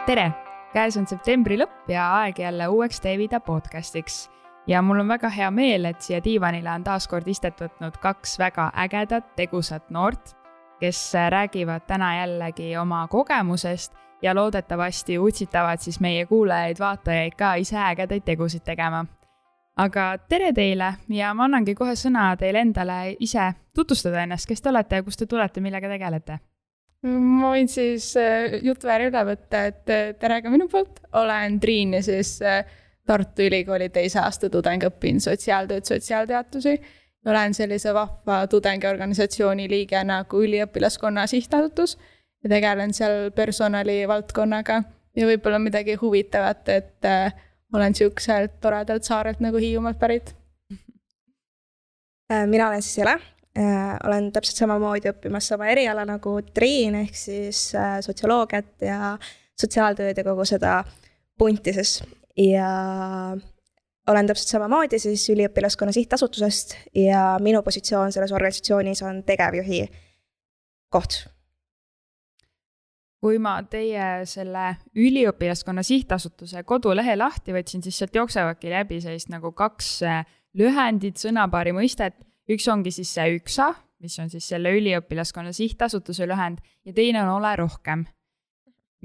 Tere! Käes on septembri lõpp ja aeg jälle uueks Teevida podcastiks. Ja mul on väga hea meel, et siia diivanile on taas kord istet võtnud kaks väga ägedat, tegusat noort, kes räägivad täna jällegi oma kogemusest ja loodetavasti utsitavad siis meie kuulajaid-vaatajaid ka ise ägedaid tegusid tegema. Aga tere teile ja ma annangi kohe sõna teile endale ise tutvustada ennast, kes te olete ja kust te tulete, millega tegelete. Ma võin siis jutuvääri üle võtta, et tere ka minu poolt. Olen Triin ja siis Tartu Ülikooli 2. aasta tudeng, õpin sotsiaaltööd, sotsiaalteatusi. Olen sellise vahva tudengiorganisatsiooni liige nagu Üliõpilaskonna sihtasutus ja tegelen seal personali valdkonnaga ja võib-olla midagi huvitavat, et olen siukselt toredalt saarelt nagu Hiiumaalt pärit. Mina olen siis Jele. Olen täpselt samamoodi õppimas sama eriala nagu Triin ehk siis sotsioloogiat ja sotsiaaltööd ja kogu seda puntises. Ja olen täpselt samamoodi siis Üliõpilaskonna sihtasutusest ja minu positsioon selles organisatsioonis on tegevjuhi koht. Kui ma teie selle Üliõpilaskonna sihtasutuse kodulehe lahti võtsin, siis sealt jooksevadki läbi sellist nagu kaks lühendit, sõnapaari mõistet. Üks ongi siis see ÜKSA, mis on siis selle Üliõpilaskonna sihtasutuse lühend ja teine on Ole rohkem.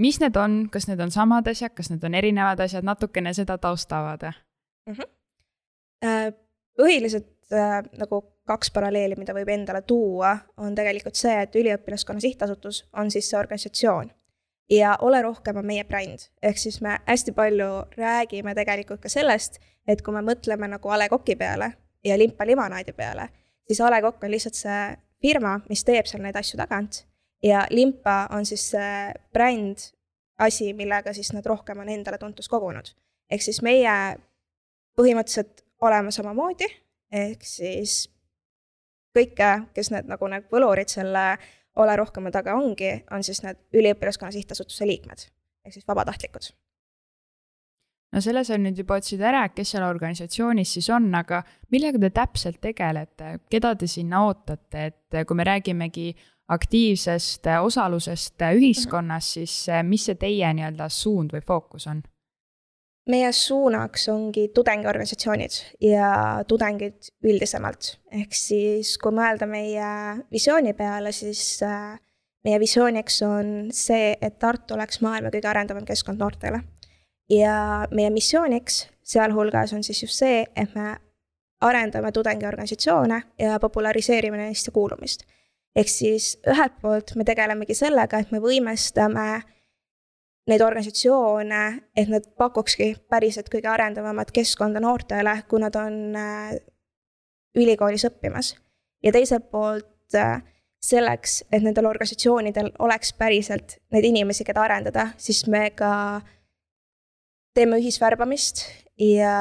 Mis need on? Kas need on samad asjad? Kas need on erinevad asjad? Natukene seda taustavad? Põhiliselt nagu kaks paralleeli, mida võib endale tuua, on tegelikult see, et Üliõpilaskonna sihtasutus on siis see organisatsioon ja Ole rohkem on meie bränd. Ehk siis me hästi palju räägime tegelikult ka sellest, et kui me mõtleme nagu A. Le Coqi peale ja Limpa limonaadi peale, siis A. Le Coq on lihtsalt see firma, mis teeb seal neid asju tagant ja Limpa on siis see bränd asi, millega siis nad rohkem on endale tuntus kogunud. Ehk siis meie põhimõtteliselt oleme samamoodi, ehk siis kõike, kes need nagu need võlurid selle Ole rohkem taga ongi, on siis need Üliõpilaskonna sihtasutuse liikmed, ehk siis vabatahtlikud. No selles on nüüd juba otsid ära, kes seal organisatsioonis siis on, aga millega te täpselt tegelete? Keda te sinna ootate? Et kui me räägimegi aktiivsest osalusest ühiskonnas, siis mis see teie nii-öelda suund või fookus on? Meie suunaks ongi tudengiorganisatsioonid ja tudengid üldisemalt. Ehk siis kui mõelda meie visiooni peale, siis meie visiooniks on see, et Tartu oleks maailma kõige arendavam keskkond noortele. Ja meie missiooniks sealhulgas on siis just see, et me arendame tudengiorganisatsioone ja populariseerime neist ja kuulumist. Ehk siis ühelt poolt me tegelemegi sellega, et me võimestame neid organisatsioone, et nad pakukski päriselt kõige arendavamat keskkonda noortele, kui nad on ülikoolis õppimas. Ja teiselt poolt selleks, et nendel organisatsioonidel oleks päriselt neid inimesi, keda arendada, siis me ka teeme ühisvärbamist ja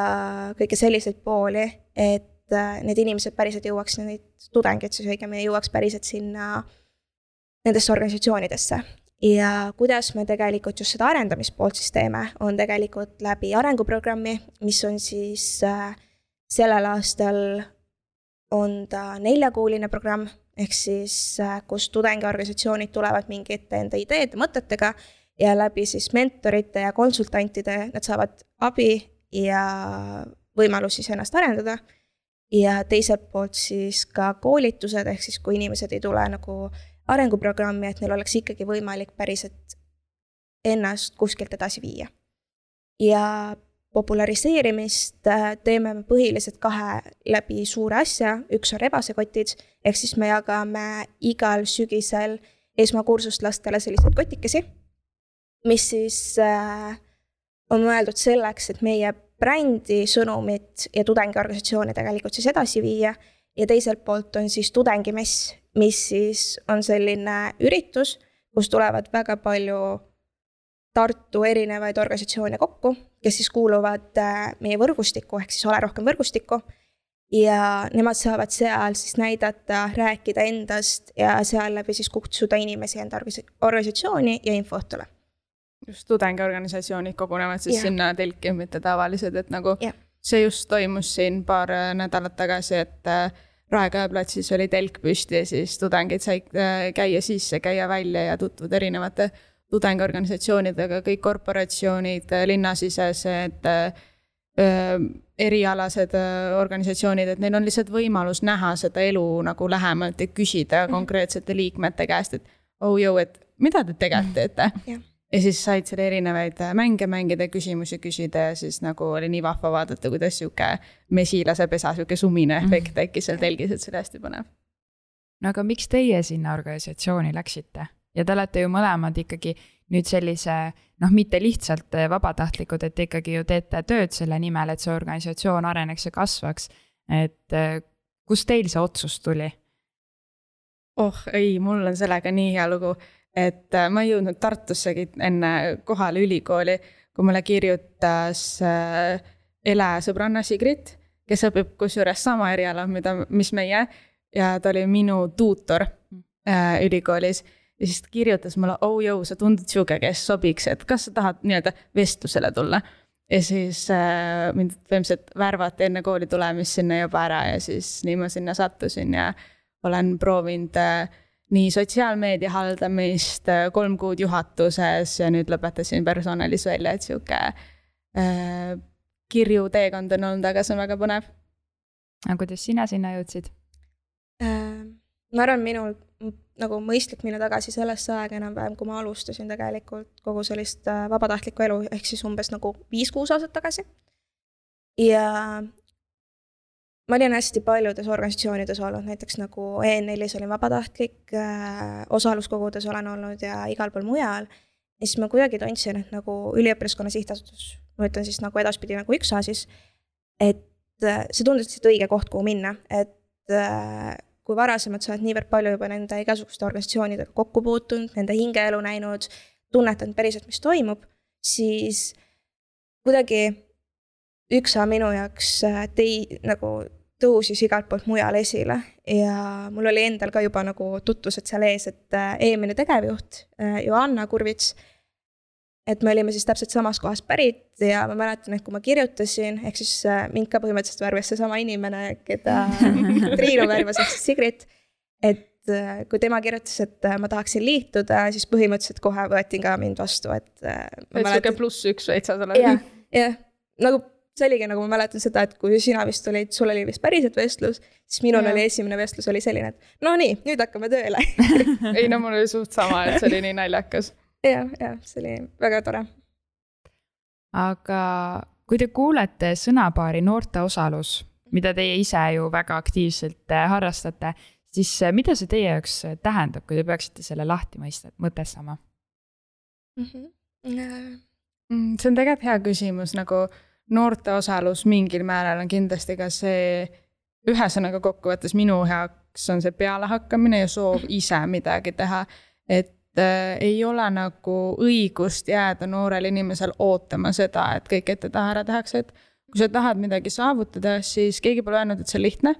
kõike selliseid pooli, et need inimesed päriselt jõuaks, neid tudengid siis õigemini jõuaks päriselt sinna nendesse organisatsioonidesse. Ja kuidas me tegelikult just seda arendamispoolt siis teeme, on tegelikult läbi arenguprogrammi, mis on siis sellel aastal on ta 4-kuuline programm, ehk siis kus tudengiorganisatsioonid tulevad mingite enda ideede mõtetega ja läbi siis mentorite ja konsultantide nad saavad abi ja võimalus siis ennast arendada. Ja teiselt poolt siis ka koolitused, ehk siis kui inimesed ei tule nagu arenguprogrammi, et neil oleks ikkagi võimalik päriselt ennast kuskilt edasi viia. Ja populariseerimist teeme põhiliselt 2 läbi suure asja. Üks on rebasekotid, ehk siis me jagame igal sügisel esmakursust lastele selliseid kotikesi, mis siis on mõeldud selleks, et meie brändi, sõnumit ja tudengiorganisatsiooni tegelikult siis edasi viia. Ja teiselt poolt on siis tudengimess, mis siis on selline üritus, kus tulevad väga palju Tartu erinevaid organisatsioone kokku, kes siis kuuluvad meie võrgustikku, ehk siis Ole rohkem võrgustikku. Ja nemad saavad seal siis näidata, rääkida endast ja seal läbi siis kutsuda inimesi enda organisatsiooni ja infoõhtule. Just tudengiorganisatsioonid kogunevad siis sinna telki, mitte tavalised, et nagu see just toimus siin paar nädalat tagasi, et Raekoja platsis oli telk püsti ja siis tudengid said käia sisse, käia välja ja tutvuda erinevate tudengiorganisatsioonidega, kõik korporatsioonid, linnasisesed, erialased organisatsioonid, et neil on lihtsalt võimalus näha seda elu nagu lähemalt ja küsida konkreetsete liikmete käest, et et mida te tegelikult teete? Ja siis said selle erinevaid mänge mängida, küsimusi küsida ja siis nagu oli nii vahva vaadata, kuidas siuke mesilase pesa, siuke sumine efekt tekkis seal telgis, et see oli hästi põnev. No aga miks teie sinna organisatsiooni läksite? Ja te olete ju mõlemad ikkagi nüüd sellise, mitte lihtsalt vabatahtlikud, et ikkagi ju teete tööd selle nimel, et see organisatsioon areneks ja kasvaks. Et kus teil see otsus tuli? Ei, mul on sellega nii hea lugu, et ma ei jõudnud Tartussegi enne kohale ülikooli, kui mulle kirjutas Ele sõbranna Sigrit, kes õpib kusjuures sama eriala, mis meie, ja ta oli minu tuutor ülikoolis. Ja siis ta kirjutas mulle, sa tundud siuke, kes sobiks, et kas sa tahad nii-öelda vestlusele tulla. Ja siis mind põhimõtteliselt värvati enne kooli tulemist sinna juba ära ja siis nii ma sinna sattusin ja olen proovinud nii sotsiaalmeedia haldamist, 3 kuud juhatuses ja nüüd lõpetasin personalis välja, et siuke kirju teekond on olnud, aga see on väga põnev. Aga kuidas sina sinna jõudsid? Ma arvan, minul nagu mõistlik minna tagasi sellesse aega enam-vähem, kui ma alustasin tegelikult kogu sellist vabatahtlikku elu, ehk siis umbes nagu 5-6 aastat tagasi. Ja ma olin hästi paljudes organisatsioonides olnud, näiteks nagu EN4-s olin vabatahtlik, osaluskogudes olen olnud ja igal pool mujal. Ja siis ma kuidagi tundsin, et nagu üliõpilaskonna sihtasutus, ma ütlen siis nagu edaspidi nagu üksa siis, et see tundus lihtsalt õige koht, kuhu minna, et kui varasemalt sa oled niivõrd palju juba nende igasuguste organisatsioonidega kokku puutunud, nende hingeelu näinud, tunnetanud päriselt, mis toimub, siis kuidagi üksa minu jaoks nagu tõusis igalt poolt mujal esile ja mul oli endal ka juba nagu tutvused seal ees, et eelmine tegevjuht Joanna Kurvits, et me olime siis täpselt samas kohas pärit ja ma mäletan, et kui ma kirjutasin, ehk siis mind ka põhimõtteliselt värvas see sama inimene, keda Triinu värvas, ehk siis Sigrit, et kui tema kirjutas, et ma tahaksin liituda, siis põhimõtteliselt kohe võeti ka mind vastu, et siuke +1 veitsa sa oled. Jah, nagu see oligi, nagu ma mäletan seda, et kui sina vist olid, sul oli vist päriselt vestlus, siis minul oli esimene vestlus oli selline, et no nii, nüüd hakkame tööle. Ei, no mul oli suht sama, et see oli nii naljakas. Ja, see oli väga tore. Aga kui te kuulete sõnapaari noorte osalus, mida teie ise ju väga aktiivselt harrastate, siis mida see teie jaoks tähendab, kui te peaksite selle lahti mõtestama? See on tegelikult hea küsimus, nagu noorte osalus mingil määral on kindlasti ka see, ühesõnaga kokkuvõttes minu heaks on see pealehakkamine ja soov ise midagi teha, et ei ole nagu õigust jääda noorel inimesel ootama seda, et kõik ette taha ära tehakse, et kui sa tahad midagi saavutada, siis keegi pole öelnud, et see on lihtne,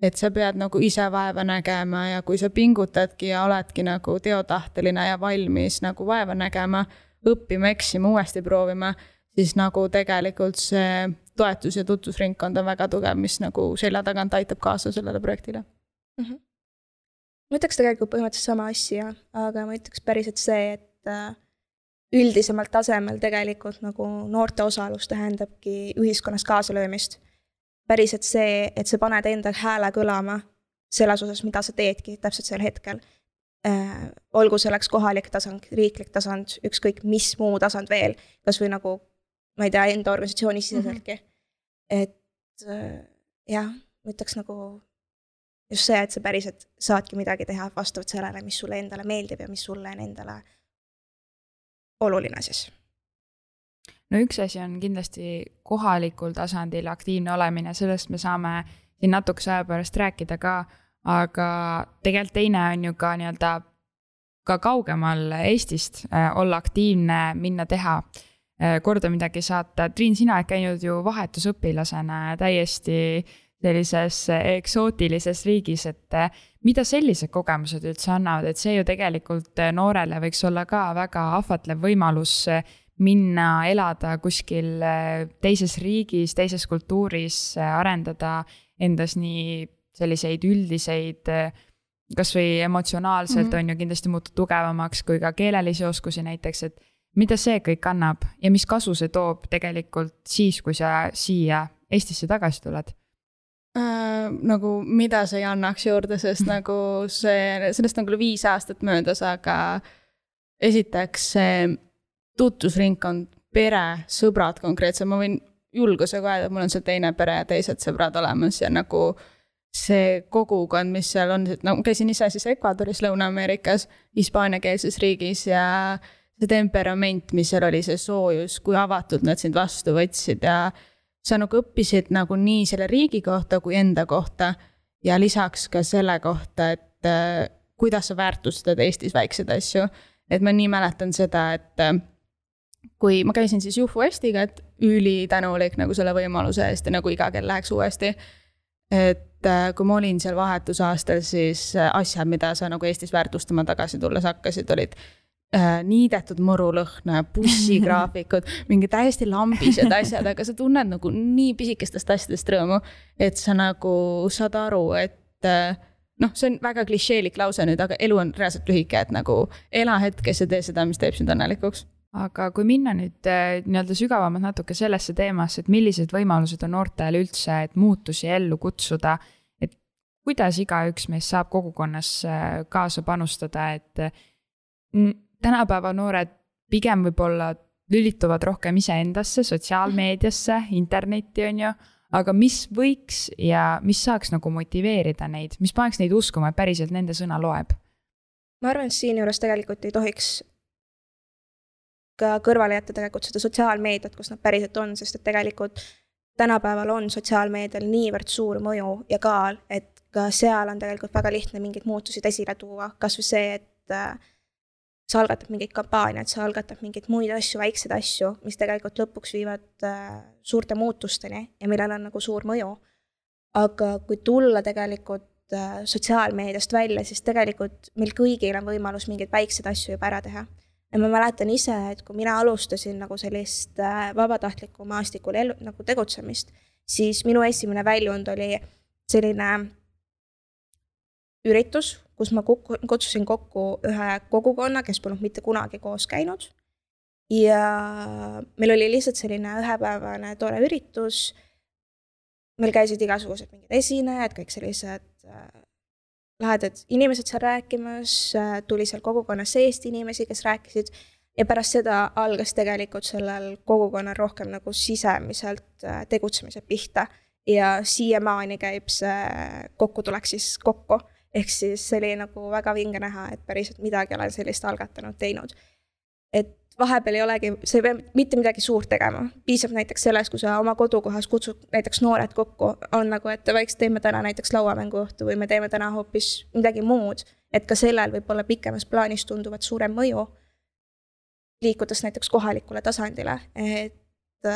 et sa pead nagu ise vaeva nägema ja kui sa pingutadki ja oledki nagu teotahteline ja valmis nagu vaeva nägema, õppima, eksima, uuesti proovima, siis nagu tegelikult see toetus ja tutvusringkond on väga tugev, mis nagu selja tagant aitab kaasa sellele projektile. Ma ütleks tegelikult põhimõtteliselt sama asja, aga ma ütleks päriselt see, et üldisemalt tasemel tegelikult nagu noorte osalus tähendabki ühiskonnas kaasalöömist. Päriselt see, et sa paned enda hääle kõlama selles osas, mida sa teedki täpselt sel hetkel. Olgu selleks kohalik tasand, riiklik tasand, ükskõik mis muu tasand veel, kas või nagu ma ei tea, enda organisatsiooni siseseltki. Et jah, ma ütleks nagu just see, et sa päriselt saadki midagi teha vastavalt sellele, mis sulle endale meeldib ja mis sulle on endale oluline siis. No üks asi on kindlasti kohalikul tasandil aktiivne olemine, sellest me saame siin natukese aja pärast rääkida ka, aga tegelikult teine on ju ka nii-öelda ka kaugemal Eestist olla aktiivne, minna teha korda midagi saata. Triin, sina oled käinud ju vahetusõpilasena täiesti sellises eksootilises riigis, et mida sellised kogemused üldse annavad, et see ju tegelikult noorele võiks olla ka väga ahvatlev võimalus minna elada kuskil teises riigis, teises kultuuris, arendada endas nii selliseid üldiseid kas või emotsionaalselt on ju kindlasti muutud tugevamaks kui ka keelelisi oskusi näiteks, et mida see kõik annab ja mis kasu see toob tegelikult siis, kui sa siia Eestisse tagasi tuled? Nagu mida see ei annaks juurde, sest nagu sellest on küll 5 aastat möödas, aga esiteks see tutvusringkond, pere, sõbrad konkreetselt, ma võin julgusega öelda, et mul on see teine pere ja teised sõbrad olemas ja nagu see kogukond, mis seal on, no käisin ise siis Ecuadoris, Lõuna-Ameerikas, hispaaniakeelses riigis ja see temperament, mis seal oli, see soojus, kui avatud nad sind vastu võtsid ja sa nagu õppisid nagu nii selle riigi kohta kui enda kohta ja lisaks ka selle kohta, et kuidas sa väärtustad Eestis väikseid asju. Et ma nii mäletan seda, et kui ma käisin siis Juhu Estiga, et ülitänulik nagu selle võimaluse eest ja nagu iga kell läheks uuesti. Et kui ma olin seal vahetusaastal, siis asjad, mida sa nagu Eestis väärtustama tagasi tulles hakkasid, olid niidetud murulõhna, bussigraafikud, mingi täiesti lambised asjad, aga sa tunned nagu nii pisikestest asjadest rõõmu, et sa nagu saad aru, et see on väga klišeelik lause nüüd, aga elu on reaalselt lühike, et nagu ela hetkes ja tee seda, mis teeb sind õnnelikuks. Aga kui minna nüüd nii-öelda sügavamalt natuke sellesse teemasse, et millised võimalused on noortel üldse, et muutusi ellu kutsuda, et kuidas igaüks meist saab kogukonnas kaasa panustada, et tänapäeva noored pigem võib-olla lülituvad rohkem iseendasse, sotsiaalmeediasse, internetti on ju, aga mis võiks ja mis saaks nagu motiveerida neid, mis paneks neid uskuma, et päriselt nende sõna loeb? Ma arvan, et siin juures tegelikult ei tohiks ka kõrvale jätta tegelikult seda sotsiaalmeediat, kus nad päriselt on, sest et tegelikult tänapäeval on sotsiaalmeedial niivõrd suur mõju ja kaal, et ka seal on tegelikult väga lihtne mingeid muutusid esile tuua, kas või see, et sa algatad mingeid kampaaniaid, sa algatad mingeid muid asju, väikseid asju, mis tegelikult lõpuks viivad suurte muutusteni ja millel on nagu suur mõju. Aga kui tulla tegelikult sotsiaalmeediast välja, siis tegelikult meil kõigil on võimalus mingeid väikseid asju juba ära teha. Ja ma mäletan ise, et kui mina alustasin nagu sellist vabatahtliku maastikul nagu tegutsemist, siis minu esimene väljund oli selline üritus, kus ma kutsusin kokku ühe kogukonna, kes polnud mitte kunagi koos käinud. Ja meil oli lihtsalt selline ühepäevane tore üritus. Meil käisid igasugused mingid esinejad, kõik sellised lahedad inimesed seal rääkimas, tuli seal kogukonna seest inimesi, kes rääkisid. Ja pärast seda algas tegelikult sellel kogukonnal rohkem nagu sisemiselt tegutsemise pihta. Ja siiamaani käib see kokkutulek siis kokku. Ehk siis see oli nagu väga vinge näha, et päriselt midagi olen sellist algatanud teinud. Et vahepeal ei olegi, see ei pea mitte midagi suurt tegema. Piisab näiteks selles, kui sa oma kodukohas kutsud näiteks noored kokku, on nagu, et vaikselt teeme täna näiteks lauamänguõhtu või me teeme täna hoopis midagi muud, et ka sellel võib olla pikemas plaanis tunduvat suurem mõju, liikudes näiteks kohalikule tasandile. Et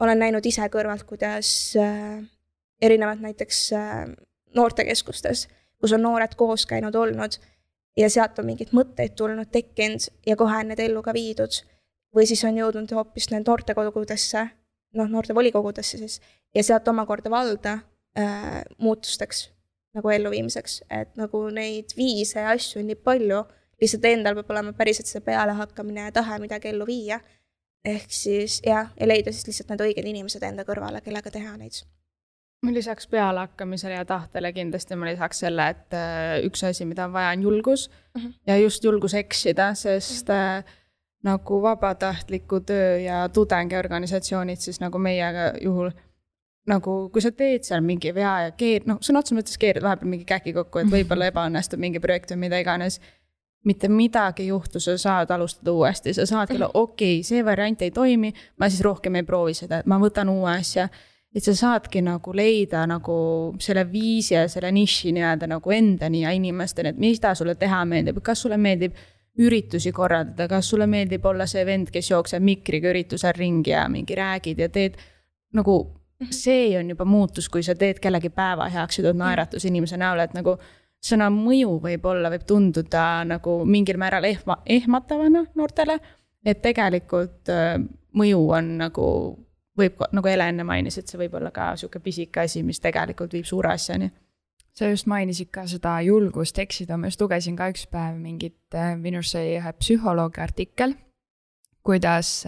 olen näinud ise kõrvalt, kuidas erinevad näiteks noortekeskustes, kus on noored koos käinud olnud ja sealt on mingid mõtteid tulnud, tekkinud ja kohe on need ellu ka viidud. Või siis on jõudnud hoopis need noortekodudesse, noortevolikogudesse siis, ja sealt omakorda valda muutusteks nagu elluviimiseks. Et nagu neid viise ja asju on nii palju, lihtsalt endal peab olema päriselt see peale hakkamine ja tahe midagi ellu viia. Ehk siis ja leida siis lihtsalt need õiged inimesed enda kõrvale, kellega teha neid. Ma lisaks pealehakkamisele ja tahtele kindlasti ma lisaks selle, et üks asi, mida on vaja, on julgus ja just julgus eksida, sest nagu vabatahtliku töö ja tudengiorganisatsioonid, siis nagu meiega juhul, nagu kui sa teed seal mingi vea ja sõna otseses mõttes keerid vahepeal mingi käki kokku, et võib-olla ebaõnnestub mingi projekt või mida iganes, mitte midagi juhtu, sa saad alustada uuesti, sa saad küll, okei, see variant ei toimi, ma siis rohkem ei proovi seda, et ma võtan uue asja. Et sa saadki nagu leida nagu selle viisi ja selle niši nii-öelda nagu endani ja inimesteni, et mida sulle teha meeldib, kas sulle meeldib üritusi korraldada, kas sulle meeldib olla see vend, kes jookseb mikriga üritusel ringi ja mingi räägid ja teed nagu see on juba muutus, kui sa teed kellegi päeva heaks ja tood naeratus inimese näole, et nagu sõna mõju võib tunduda nagu mingil määral ehmatavana noortele, et tegelikult mõju on nagu võib, nagu Ele enne mainis, et see võib olla ka siuke pisike asi, mis tegelikult viib suure asjani. sa just mainisid ka seda julgust eksida, ma just lugesin ka üks päev mingit, minu arust see ühe psühholoogi artikkel, kuidas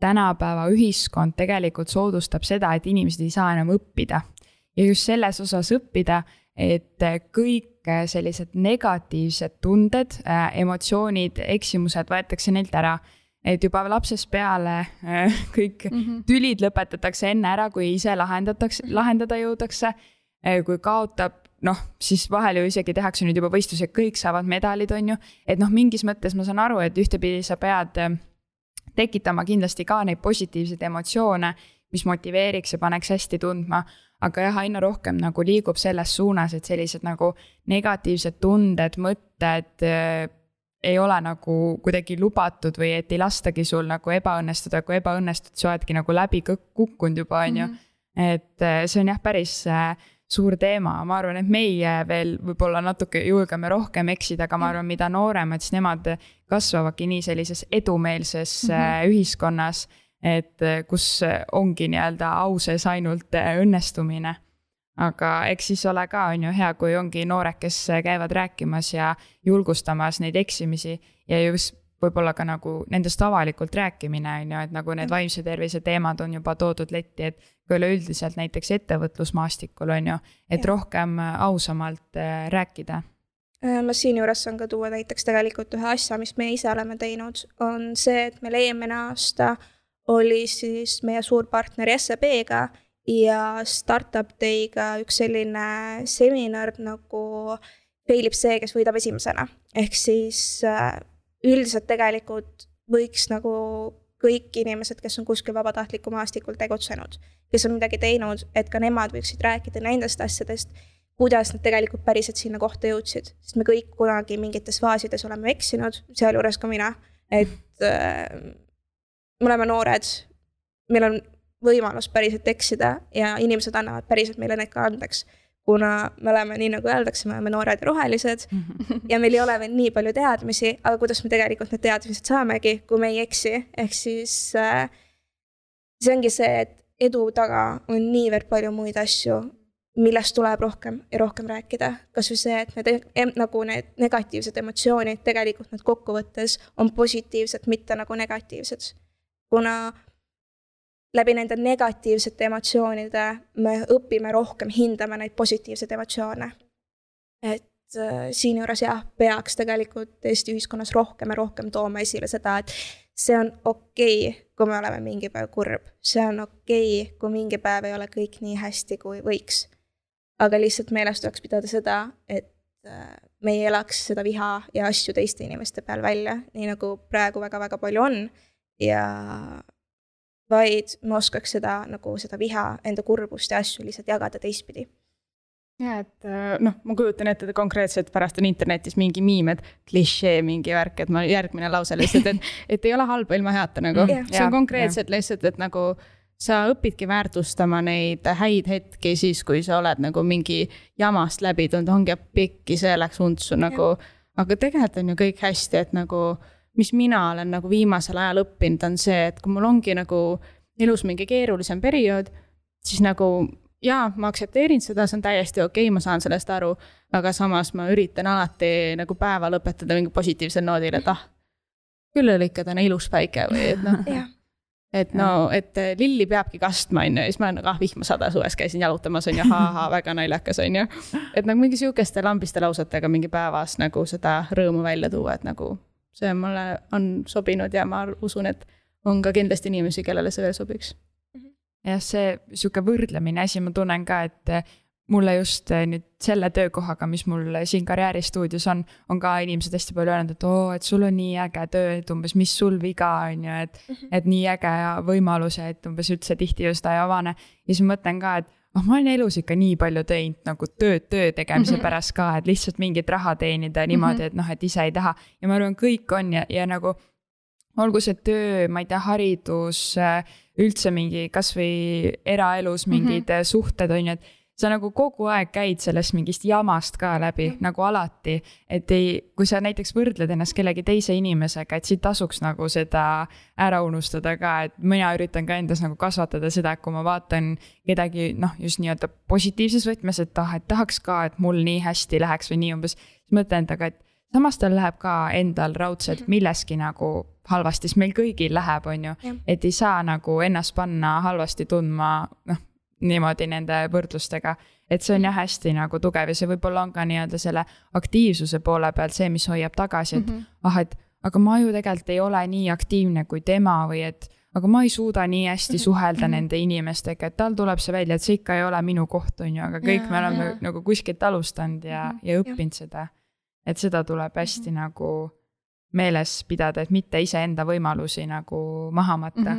tänapäeva ühiskond tegelikult soodustab seda, et inimesed ei saa enam õppida. Ja just selles osas õppida, et kõik sellised negatiivsed tunded, emotsioonid, eksimused võetakse neilt ära. Et juba lapsest peale kõik tülid lõpetatakse enne ära, kui ise lahendada jõudakse. Kui kaotab, siis vahel ju isegi tehakse nüüd juba võistlus, et kõik saavad medalid, on ju. Et mingis mõttes ma saan aru, et ühtepidi sa pead tekitama kindlasti ka neid positiivseid emotsioone, mis motiveeriks ja paneks hästi tundma, aga jah, aina rohkem nagu liigub selles suunas, et sellised nagu negatiivsed tunded, mõtted ei ole nagu kuidagi lubatud või et ei lastagi sul nagu ebaõnnestuda, kui ebaõnnestud, sa oledki nagu läbi kukkunud juba, on ju. Et see on jah päris suur teema, ma arvan, et meie veel võib-olla natuke julgeme rohkem eksida, aga ma arvan, mida nooremad, siis nemad kasvavadki nii sellises edumeelses ühiskonnas, et kus ongi nii-öelda au sees ainult õnnestumine. Aga eks siis ole ka on ju hea, kui ongi noored, kes käivad rääkimas ja julgustamas neid eksimisi ja just võib-olla ka nagu nendest avalikult rääkimine on ju, et nagu need vaimse tervise teemad on juba toodud letti, et kui üleüldiselt näiteks ettevõtlusmaastikul on ju, et rohkem ausamalt rääkida. Ma siin juures saan ka tuua näiteks tegelikult ühe asja, mis me ise oleme teinud, on see, et meil eelmine aasta oli siis meie suurpartneri SEB-ga ja Startup Day'ga üks selline seminar nagu failib see, kes võidab esimesena. Ehk siis üldiselt tegelikult võiks nagu kõik inimesed, kes on kuskil vabatahtliku maastikul tegutsenud, kes on midagi teinud, et ka nemad võiksid rääkida nendest asjadest, kuidas nad tegelikult päriselt sinna kohta jõudsid. Sest me kõik kunagi mingites faasides oleme eksinud, sealjuures ka mina, et me oleme noored, meil on võimalus päriselt eksida ja inimesed annavad päriselt meile need ka andeks. Kuna me oleme, nii nagu öeldakse, me oleme noored ja rohelised ja meil ei ole veel nii palju teadmisi, aga kuidas me tegelikult need teadmised saamegi, kui me ei eksi. Ehk siis see ongi see, et edu taga on niivõrd palju muid asju, millest tuleb rohkem ja rohkem rääkida. Kas või see, et nagu need negatiivsed emotsioonid tegelikult need kokkuvõttes on positiivsed, mitte nagu negatiivsed. Kuna läbi nende negatiivsete emotsioonide me õpime rohkem hindama neid positiivseid emotsioone. Et siin juures peaks tegelikult Eesti ühiskonnas rohkem ja rohkem tooma esile seda, et see on okei, kui me oleme mingi päev kurb. See on okei, kui mingi päev ei ole kõik nii hästi, kui võiks. Aga lihtsalt meeles tuleks pidada seda, et me ei elaks seda viha ja asju teiste inimeste peal välja, nii nagu praegu väga-väga palju on. Ja vaid me oskaks seda viha, enda kurbust ja asju lihtsalt jagada teistpidi. Ja, et ma kujutan ette konkreetselt pärast on internetis mingi miim, et klišee mingi värk, et ma järgmine lause lihtsalt, et ei ole halba ilma heata nagu. See on konkreetselt lihtsalt, et nagu sa õpidki väärtustama neid häid hetki siis, kui sa oled nagu mingi jamast läbi tulnud, ongi pikki, see läks untsu nagu, aga tegelikult on ju kõik hästi, et nagu mis mina olen nagu viimasel ajal õppinud, on see, et kui mul ongi nagu elus mingi keerulisem periood, siis nagu ma aktsepteerin seda, see on täiesti okei, ma saan sellest aru, aga samas ma üritan alati nagu päeva lõpetada mingi positiivsel noodil, et küll oli ikka täna ilus päike või et et lilli peabki kastma, on ju, ja siis ma olen nagu, vihma sada suves käisin jalutamas, on ju, väga naljakas, on ju, et nagu mingi siukeste lambiste lausetega mingi päevas nagu seda rõõmu välja tuua, et nagu see mulle on sobinud ja ma usun, et on ka kindlasti inimesi, kellele see veel sobiks. Ja see siuke võrdlemine asi, ma tunnen ka, et mulle just nüüd selle töökohaga, mis mul siin karjääristuudios on ka inimesed hästi palju öelnud, et sul on nii äge töö, et umbes mis sul viga on ju, et nii äge võimalus, et umbes üldse tihti ju seda ei avane. Ja siis mõtlen ka, et ma olen elus ikka nii palju teinud nagu töö tegemise pärast ka, et lihtsalt mingit raha teenida niimoodi, et ise ei taha. Ja ma arvan, kõik on ja nagu olgu see töö, ma ei tea, haridus, üldse mingi kas või eraelus mingid suhted on ju, et sa nagu kogu aeg käid sellest mingist jamast ka läbi nagu alati, et kui sa näiteks võrdled ennast kellegi teise inimesega, et siit tasuks nagu seda ära unustada ka, et mina üritan ka endas nagu kasvatada seda, et kui ma vaatan kedagi just nii-öelda positiivses võtmes, et tahaks ka, et mul nii hästi läheks või nii umbes, siis mõtlen endaga, et samas tal läheb ka endal raudselt milleski nagu halvasti, siis meil kõigil läheb, on ju, et ei saa nagu ennast panna halvasti tundma, niimoodi nende võrdlustega, et see on jah hästi nagu tugev ja see võib-olla on ka nii-öelda selle aktiivsuse poole pealt see, mis hoiab tagasi, et aga ma ju tegelikult ei ole nii aktiivne kui tema või et aga ma ei suuda nii hästi suhelda nende inimestega, et tal tuleb see välja, et see ikka ei ole minu koht, on ju, aga kõik me oleme nagu kuskilt alustanud ja õppinud seda. Et seda tuleb hästi nagu meeles pidada, et mitte iseenda võimalusi nagu maha matta.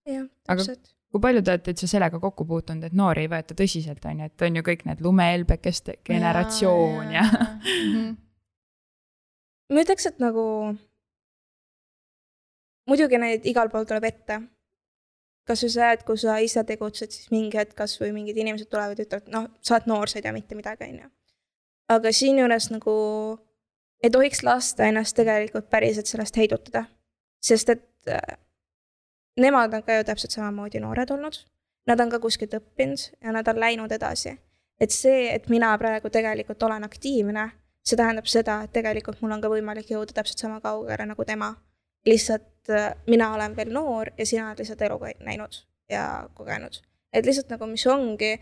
Jah, Aga täpselt. kui palju te olete üldse sellega kokku puutunud, et noori ei võeta tõsiselt, on ju, et on ju kõik need lumehelbekeste generatsioon ja. Ma ütleks, et nagu muidugi neid igal pool tuleb ette. Kas või see, et kui sa ise tegutsed, siis mingi hetk kas või mingid inimesed tulevad ja ütlevad, sa oled noor, sa ei tea mitte midagi, on ju. Aga siin juures nagu ei tohiks lasta ennast tegelikult päriselt sellest heidutada, sest et nemad on ka ju täpselt samamoodi noored olnud, nad on ka kuskilt õppinud ja nad on läinud edasi. Et see, et mina praegu tegelikult olen aktiivne, see tähendab seda, et tegelikult mul on ka võimalik jõuda täpselt sama kaugele nagu tema. Lihtsalt mina olen veel noor ja sina oled lihtsalt elu näinud ja kogenud. Et lihtsalt nagu mis ongi,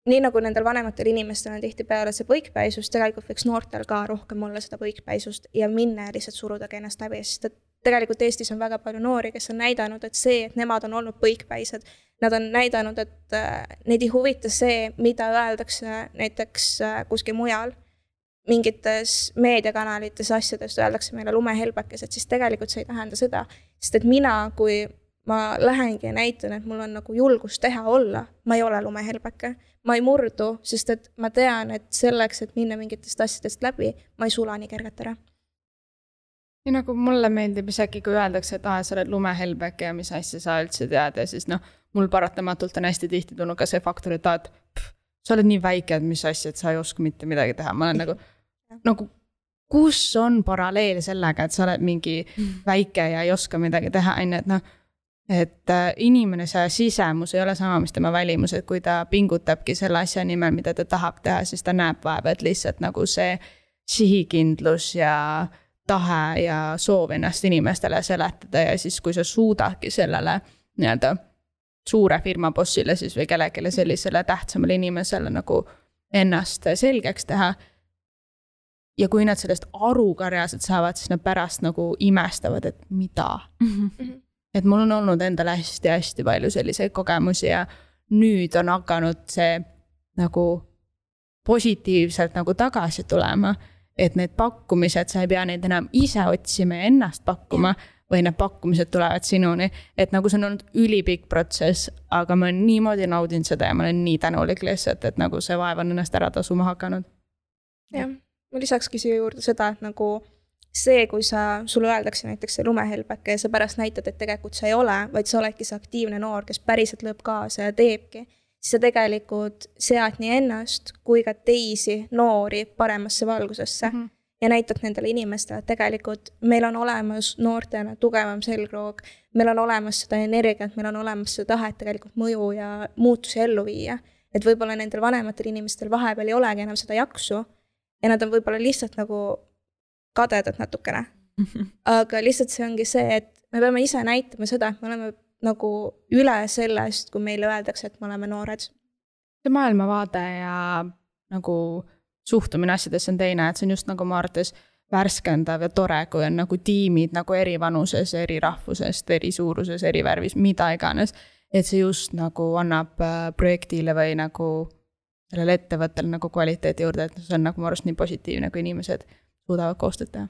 nii nagu nendel vanematel inimestel on tihtipeale see põikpäisus, tegelikult võiks noortel ka rohkem olla seda põikpäisust ja minna ja lihtsalt suruda ennast läbi, sest et tegelikult Eestis on väga palju noori, kes on näidanud, et see, et nemad on olnud põikpäised, nad on näidanud, et neid ei huvita see, mida öeldakse näiteks kuskil mujal, mingites meediakanalites asjadest öeldakse meile lumehelbekesed, siis tegelikult see ei tähenda seda, sest et mina, kui ma lähengi ja näitan, et mul on nagu julgus teha olla, ma ei ole lumehelbeke, ma ei murdu, sest et ma tean, et selleks, et minna mingitest asjadest läbi, ma ei sula nii kergelt ära. Ja nagu mulle meeldib isegi, kui öeldakse, et sa oled lumehelbeke ja mis asja sa üldse tead ja siis mul paratamatult on hästi tihti tulnud ka see faktor, et sa oled nii väike, et mis asja, et sa ei oska mitte midagi teha. Ma olen nagu kus on paralleel sellega, et sa oled mingi väike ja ei oska midagi teha, et inimene see sisemus ei ole sama, mis tema välimus, et kui ta pingutabki selle asja nimel, mida ta tahab teha, siis ta näeb vaeva, et lihtsalt nagu see sihikindlus ja tahe ja soov ennast inimestele seletada ja siis kui sa suudadki sellele nii-öelda suure firma bossile siis või kellelegi sellisele tähtsamale inimesele nagu ennast selgeks teha ja kui nad sellest aru ka reaalselt saavad, siis nad pärast nagu imestavad, et mida? Et mul on olnud endale hästi-hästi palju selliseid kogemusi ja nüüd on hakanud see nagu positiivselt nagu tagasi tulema, et need pakkumised, sa ei pea neid enam ise otsima ja ennast pakkuma või need pakkumised tulevad sinuni, et nagu see on olnud ülipikk protsess, aga ma olen niimoodi naudinud seda ja ma olen nii tänulik lihtsalt, et nagu see vaev on ennast ära tasuma hakanud. Jah, ma lisakski siia juurde seda, et nagu see, kui sulle öeldakse näiteks see lumehelbeke ja sa pärast näitad, et tegelikult sa ei ole, vaid sa oledki see aktiivne noor, kes päriselt lööb kaasa ja teebki, siis sa tegelikult sead nii ennast kui ka teisi noori paremasse valgusesse ja näitad nendele inimestele, et tegelikult meil on olemas noortena tugevam selgroog, meil on olemas seda energiat, meil on olemas seda tahet tegelikult mõju ja muutusi ellu viia, et võib-olla nendel vanematel inimestel vahepeal ei olegi enam seda jaksu ja nad on võib-olla lihtsalt nagu kadedad natukene. Aga lihtsalt see ongi see, et me peame ise näitama seda, et me oleme nagu üle sellest, kui meile öeldakse, et me oleme noored. See maailmavaade ja nagu suhtumine asjadesse on teine, et see on just nagu ma arvates värskendav ja tore, kui on nagu tiimid nagu eri vanuses, eri rahvusest, eri suuruses, eri värvis, mida iganes. Et see just nagu annab projektile või nagu sellele ettevõttele nagu kvaliteedi juurde, et see on nagu ma arvast nii positiivne, kui inimesed suudavad koostööd teha.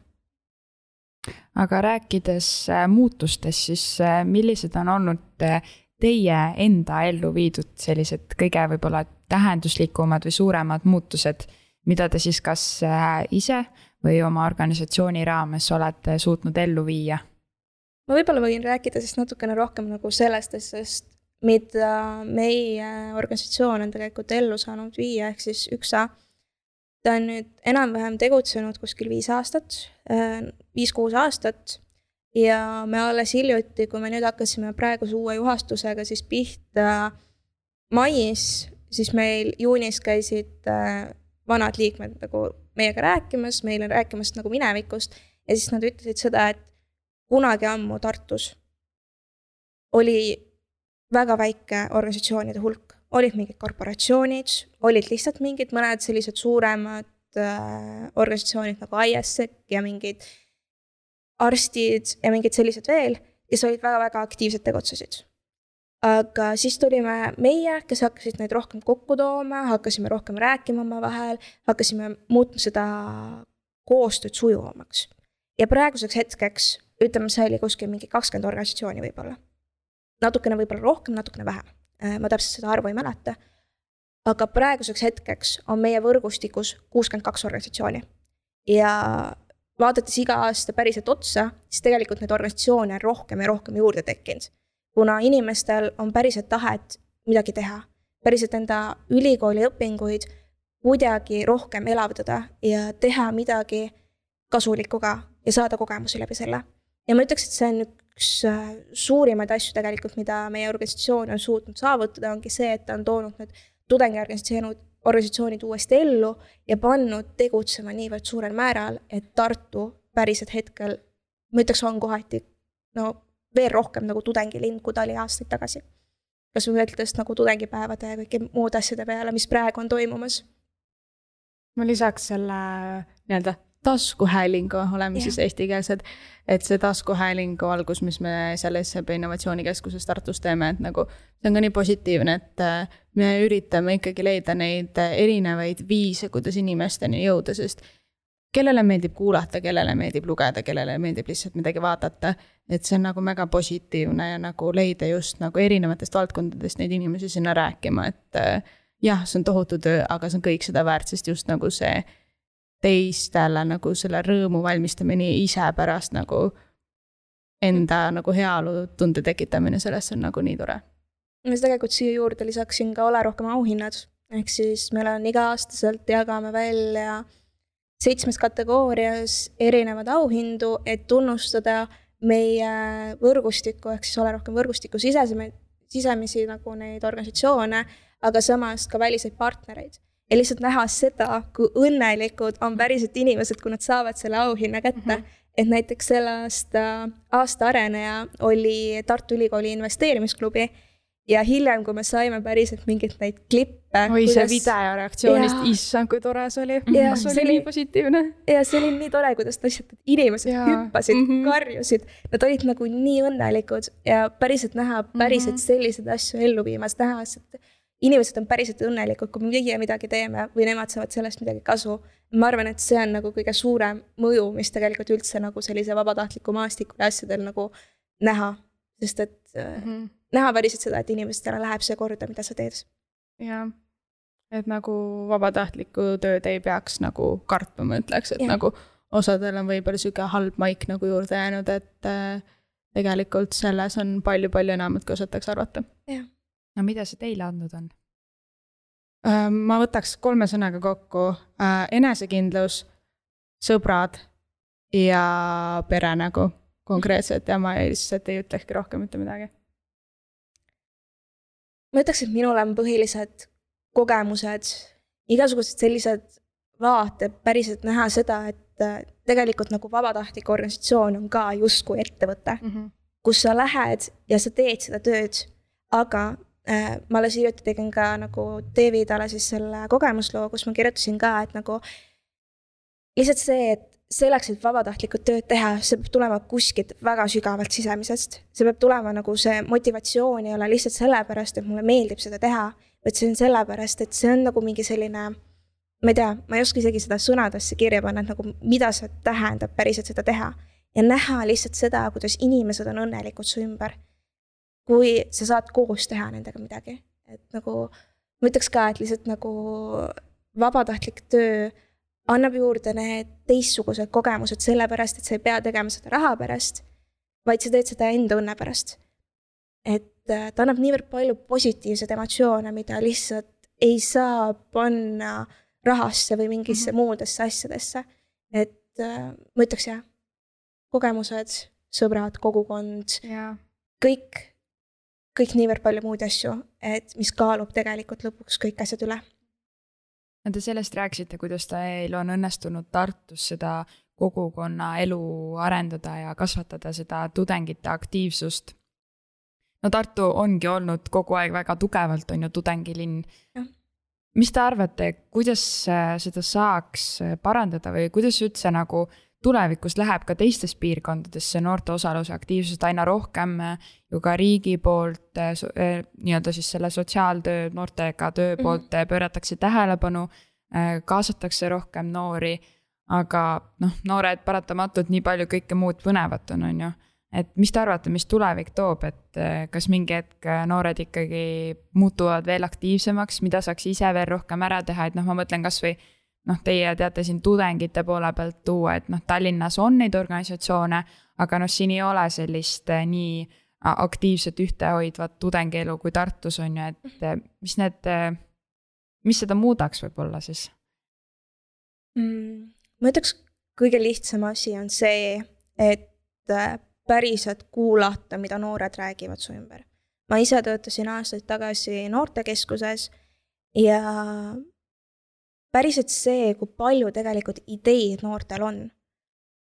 Aga rääkides muutustest, siis millised on olnud teie enda ellu viidud sellised kõige võib-olla tähenduslikumad või suuremad muutused, mida te siis kas ise või oma organisatsiooni raames olete suutnud ellu viia? Ma võib-olla võin rääkida siis natukene rohkem nagu sellest, sest mida meie organisatsioon on tegelikult ellu saanud viia, ehk siis 1A. Ta on nüüd enam-vähem tegutsenud kuskil 5 aastat, 5-6 aastat ja me alles hiljuti, kui me nüüd hakkasime praeguse uue juhastusega siis pihta mais, siis meil juunis käisid vanad liikmed nagu meiega rääkimas, meile rääkimas nagu minevikust ja siis nad ütlesid seda, et kunagi ammu Tartus oli väga väike organisatsioonide hulk. Olid mingid korporatsioonid, olid lihtsalt mingid mõned sellised suuremad organisatsioonid nagu ISEC ja mingid arstid ja mingid sellised veel, kes olid väga-väga aktiivsed tegutsesid. Aga siis tulime meie, kes hakkasid neid rohkem kokku tooma, hakkasime rohkem rääkima oma vahel, hakkasime muutma seda koostööd sujuvamaks. Ja praeguseks hetkeks, ütleme, see oli kuskil mingi 20 organisatsiooni võib-olla. Natukene võib-olla rohkem, natukene vähem. Ma täpselt seda arvu ei mäleta. Aga praeguseks hetkeks on meie võrgustikus 62 organisatsiooni. Ja vaadates iga aasta päriselt otsa, siis tegelikult neid organisatsioone on rohkem ja rohkem juurde tekkinud. Kuna inimestel on päriselt tahet midagi teha, päriselt enda ülikooli õpinguid kuidagi rohkem elavdada ja teha midagi kasulikuga ja saada kogemusi läbi selle. Ja ma ütleks, et see on üks suurimaid asju tegelikult, mida meie organisatsioon on suutnud saavutada, ongi see, et ta on toonud need tudengiorganisatsioonid uuesti ellu ja pannud tegutsema niivõrd suurel määral, et Tartu päriselt hetkel, ma ütleks, on kohati veel rohkem nagu tudengilind, kui ta oli aastaid tagasi. Kas mõeldes nagu tudengipäevade ja kõiki muud asjade peale, mis praegu on toimumas? Ma lisaks selle nii-öelda taskuhäälingu, oleme siis eestikeelsed, et see taskuhäälingu algus, mis me seal SEB Innovatsioonikeskuses Tartus teeme, et nagu see on ka nii positiivne, et me üritame ikkagi leida neid erinevaid viise, kuidas inimesteni jõuda, sest kellele meeldib kuulata, kellele meeldib lugeda, kellele meeldib lihtsalt midagi vaadata, et see on nagu väga positiivne ja nagu leida just nagu erinevatest valdkondadest neid inimesi sinna rääkima, et jah, see on tohutu töö, aga see on kõik seda väärt, sest just nagu see teistele nagu selle rõõmu valmistamine ise pärast nagu enda nagu heaolu tunde tekitamine, sellest on nagu nii tore. Ma tegelikult siia juurde lisaksin ka Ole rohkem auhinnad, ehk siis meil on iga-aastaselt jagame välja 7 kategoorias erinevad auhindu, et tunnustada meie võrgustikku, ehk siis Ole rohkem võrgustiku sisemisi nagu neid organisatsioone, aga samas ka väliseid partnereid. Ja lihtsalt näha seda, kui õnnelikud on päriselt inimesed, kui nad saavad selle auhinna kätte. Et näiteks selle aasta areneja oli Tartu Ülikooli investeerimisklubi ja hiljem, kui me saime päriselt mingit neid klippe. Oi, see videoreaktsioonist, issand, kui tore see oli. See oli nii positiivne. Ja see oli nii tore, kuidas inimesed hüppasid, karjusid. Nad olid nagu nii õnnelikud ja päriselt näha päriselt sellised asju ellu viimas, näha, et inimesed on päriselt õnnelikud, kui meie midagi teeme või nemad saavad sellest midagi kasu. Ma arvan, et see on nagu kõige suurem mõju, mis tegelikult üldse nagu sellise vabatahtliku maastikule asjadel nagu näha. Sest et näha päriselt seda, et inimestele läheb see korda, mida sa teed. Jah, et nagu vabatahtliku tööd ei peaks nagu kartma, ma ütleks, et nagu osadel on võib-olla süge halb maik nagu juurde jäänud, et tegelikult selles on palju-palju enamat, kui osataks arvata. Jah. No mida see teile andnud on? Ma võtaks 3 sõnaga kokku. Enesekindlus, sõbrad ja pere nagu konkreetselt ja ma lihtsalt ei ütlekski rohkem mitte midagi. Ma ütleks, et minul on põhilised kogemused, igasugused sellised vaated päriselt näha seda, et tegelikult nagu vabatahtlik organisatsioon on ka justkui ettevõte, kus sa lähed ja sa teed seda tööd, aga ma alles hiljuti tegin ka nagu Davidale siis selle kogemusloo, kus ma kirjutasin ka, et nagu lihtsalt see, et selleks, et vabatahtlikud tööd teha, see peab tulema kuskilt väga sügavalt sisemisest. See peab tulema nagu see motivatsioon ei ole lihtsalt sellepärast, et mulle meeldib seda teha, vaid see on sellepärast, et see on nagu mingi selline, ma ei tea, ma ei oska isegi seda sõnadesse kirja panna, et nagu mida see tähendab päriselt seda teha. Ja näha lihtsalt seda, kuidas inimesed on õnnelikud su ümber. Kui sa saad koos teha nendega midagi. Et nagu, ma ütleks ka, et lihtsalt nagu vabatahtlik töö annab juurde need teistsugused kogemused sellepärast, et sa ei pea tegema seda raha pärast, vaid sa teed seda enda õnne pärast. Et ta annab niivõrd palju positiivseid emotsioone, mida lihtsalt ei saa panna rahasse või mingisse muudesse asjadesse. Et ma ütleks jah, kogemused, sõbrad, kogukond, kõik niivõrd palju muud asju, et mis kaalub tegelikult lõpuks kõik asjad üle. Te sellest rääkisite, kuidas teil on õnnestunud Tartus seda kogukonna elu arendada ja kasvatada seda tudengite aktiivsust. No Tartu ongi olnud kogu aeg väga tugevalt, on ju tudengilinn. Ja. Mis te arvate, kuidas seda saaks parandada või kuidas üldse nagu tulevikus läheb ka teistes piirkondades see noorte osaluse aktiivsust aina rohkem ju ka riigi poolt, nii-öelda siis selle sotsiaaltöö, noortega töö poolt pööratakse tähelepanu, kaasatakse rohkem noori, aga noored paratamatult nii palju kõike muud põnevat on ju. Et mis te arvate, mis tulevik toob, et kas mingi hetk noored ikkagi muutuvad veel aktiivsemaks, mida saaks ise veel rohkem ära teha, et ma mõtlen kas või teie teate siin tudengite poole pealt tuua, et Tallinnas on neid organisatsioone, aga siin ei ole sellist nii aktiivset ühtehoidvat tudengielu kui Tartus on ju, et mis seda muudaks võib-olla siis? Ma ütleks, kõige lihtsam asi on see, et päriselt kuulata, mida noored räägivad su ümber. Ma ise töötasin aastaid tagasi noortekeskuses ja päriselt see, kui palju tegelikult ideid noortel on.